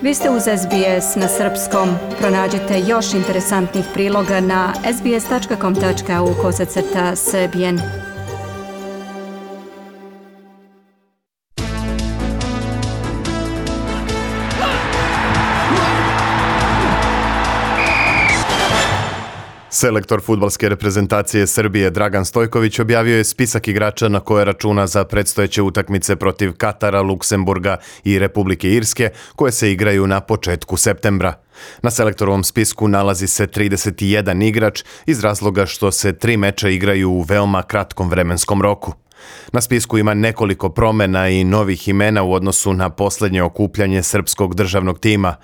Vi ste uz SBS na srpskom. Pronađite još interesantnih priloga na sbs.com.au/srbijen. Selektor fudbalske reprezentacije Srbije Dragan Stojković objavio je spisak igrača na koje računa za predstojeće utakmice protiv Katara, Luksemburga i Republike Irske, koje se igraju na početku septembra. Na selektorovom spisku nalazi se 31 igrač iz razloga što se 3 meča igraju u veoma kratkom vremenskom roku. Na spisku ima nekoliko promena i novih imena u odnosu na posljednje okupljanje srpskog državnog tima.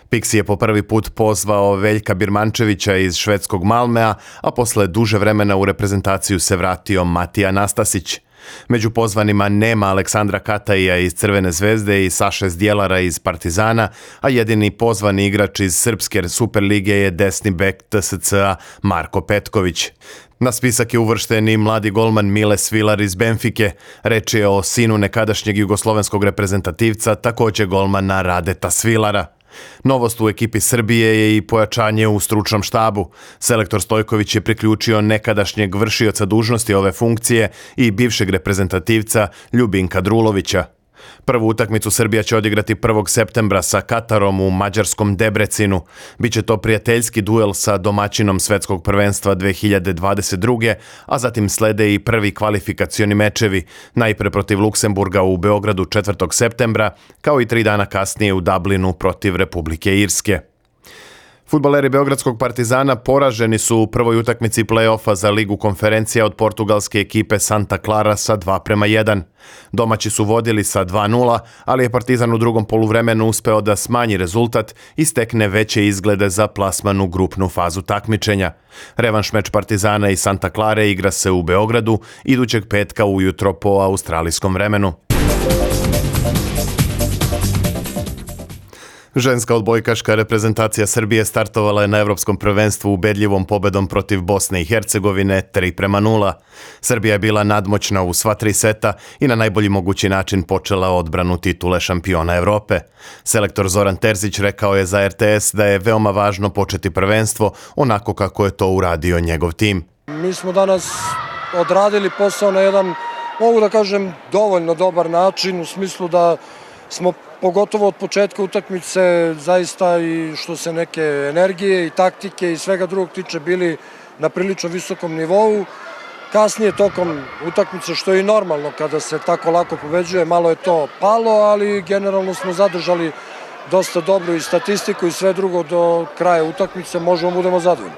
Pixi je po prvi put pozvao Veljka Birmančevića iz švedskog Malmea, a posle duže vremena u reprezentaciju se vratio Matija Nastasić. Među pozvanima nema Aleksandra Kataija iz Crvene zvezde i Saše Zdjelara iz Partizana, a jedini pozvani igrač iz Srpske Superlige je desni bek TSC-a Marko Petković. Na spisak je uvršten i mladi golman Mile Svilar iz Benfike. Reč je o sinu nekadašnjeg jugoslovenskog reprezentativca, također golmana Radeta Svilara. Novost u ekipi Srbije je i pojačanje u stručnom štabu. Selektor Stojković je priključio nekadašnjeg vršioca dužnosti ove funkcije i bivšeg reprezentativca Ljubinka Drulovića. Prvu utakmicu Srbija će odigrati 1. septembra sa Katarom u mađarskom Debrecinu. Biće to prijateljski duel sa domaćinom svetskog prvenstva 2022. a zatim slede i prvi kvalifikacioni mečevi, najpre protiv Luksemburga u Beogradu 4. septembra, kao i 3 dana kasnije u Dublinu protiv Republike Irske. Fudbaleri Beogradskog Partizana poraženi su u prvoj utakmici play-offa za Ligu konferencija od portugalske ekipe Santa Clara sa 2:1. Domaći su vodili sa 2:0, ali je Partizan u drugom poluvremenu uspeo da smanji rezultat i stekne veće izglede za plasman u grupnu fazu takmičenja. Revanš meč Partizana i Santa Clare igra se u Beogradu idućeg petka ujutro po australijskom vremenu. Ženska odbojkaška reprezentacija Srbije startovala je na Evropskom prvenstvu ubedljivom pobedom protiv Bosne i Hercegovine 3:0. Srbija je bila nadmoćna u sva 3 seta i na najbolji mogući način počela odbranu titule šampiona Evrope. Selektor Zoran Terzić rekao je za RTS da je veoma važno početi prvenstvo onako kako je to uradio njegov tim. Mi smo danas odradili posao na jedan, mogu da kažem, dovoljno dobar način, u smislu da smo pogotovo od početka utakmice zaista i što se neke energije i taktike i svega drugog tiče bili na prilično visokom nivou. Kasnije tokom utakmice, što je i normalno kada se tako lako pobeđuje, malo je to palo, ali generalno smo zadržali dosta dobru i statistiku i sve drugo do kraja utakmice, možemo budemo zadovoljni.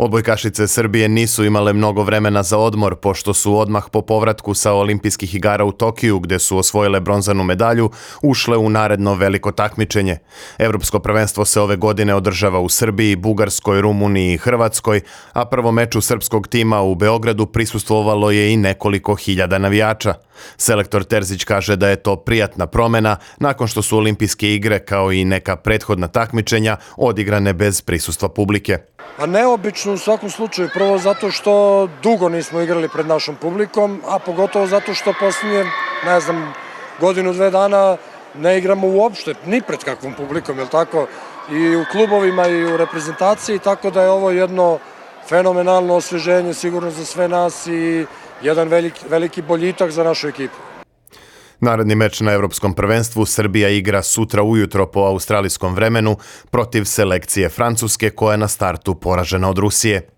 Odbojkašice Srbije nisu imale mnogo vremena za odmor, pošto su odmah po povratku sa olimpijskih igara u Tokiju, gde su osvojile bronzanu medalju, ušle u naredno veliko takmičenje. Evropsko prvenstvo se ove godine održava u Srbiji, Bugarskoj, Rumuniji i Hrvatskoj, a prvo meču srpskog tima u Beogradu prisustvovalo je i nekoliko hiljada navijača. Selektor Terzić kaže da je to prijatna promena nakon što su olimpijske igre kao i neka prethodna takmičenja odigrane bez prisustva publike. A neobično u svakom slučaju, prvo zato što dugo nismo igrali pred našom publikom, a pogotovo zato što posljednje, godinu, 2 dana ne igramo uopšte, ni pred kakvom publikom, je li tako? I u klubovima i u reprezentaciji, tako da je ovo jedno fenomenalno osveženje sigurno za sve nas i jedan veliki boljitak za našu ekipu. Naredni meč na Evropskom prvenstvu Srbija igra sutra ujutro po australijskom vremenu protiv selekcije Francuske koja je na startu poražena od Rusije.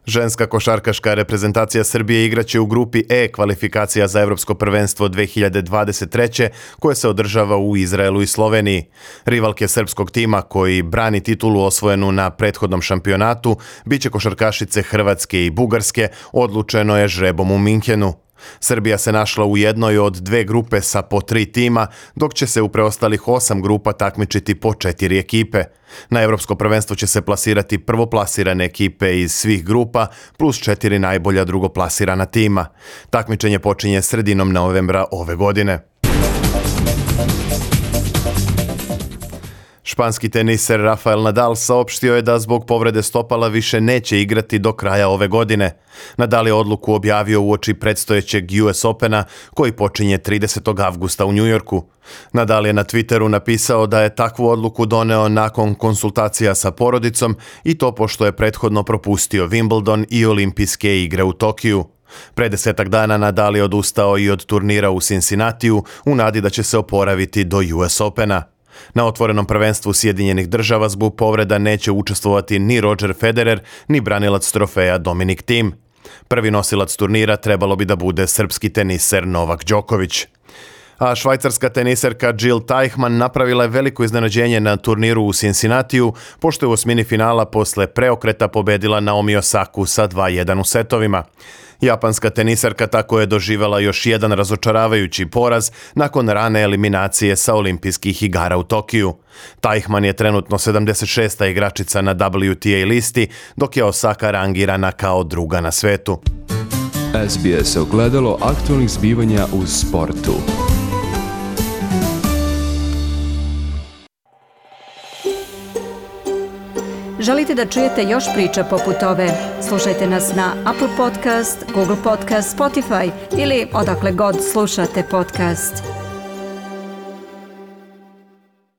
Ženska košarkaška reprezentacija Srbije igraće u grupi E kvalifikacija za Evropsko prvenstvo 2023. koje se održava u Izraelu i Sloveniji. Rivalke srpskog tima koji brani titulu osvojenu na prethodnom šampionatu biće košarkašice Hrvatske i Bugarske, odlučeno je žrebom u Minhenu. Srbija se našla u jednoj od 2 grupe sa po 3 tima, dok će se u preostalih 8 grupa takmičiti po 4 ekipe. Na Evropsko prvenstvo će se plasirati prvoplasirane ekipe iz svih grupa plus 4 najbolja drugoplasirana tima. Takmičenje počinje sredinom novembra ove godine. Španski teniser Rafael Nadal saopštio je da zbog povrede stopala više neće igrati do kraja ove godine. Nadal je odluku objavio uoči predstojećeg US Opena koji počinje 30. avgusta u Njujorku. Nadal je na Twitteru napisao da je takvu odluku doneo nakon konsultacija sa porodicom i to pošto je prethodno propustio Wimbledon i olimpijske igre u Tokiju. Pre 10 dana Nadal je odustao i od turnira u Cincinnatiju u nadi da će se oporaviti do US Opena. Na otvorenom prvenstvu Sjedinjenih Država zbog povreda neće učestvovati ni Roger Federer, ni branilac trofeja Dominic Thiem. Prvi nosilac turnira trebalo bi da bude srpski teniser Novak Đoković. A švajcarska teniserka Jil Teichmann napravila je veliko iznenađenje na turniru u Cincinnatiju, pošto je u osmini finala posle preokreta pobedila Naomi Osaku sa 2:1 u setovima. Japanska teniserka tako je doživela još jedan razočaravajući poraz nakon rane eliminacije sa olimpijskih igara u Tokiju. Teichmann je trenutno 76. igračica na WTA listi, dok je Osaka rangirana kao druga na svetu. SBS ogledalo aktualnih zbivanja u sportu. Želite da čujete još priča poput ove? Slušajte nas na Apple Podcast, Google Podcast, Spotify ili odakle god slušate podcast.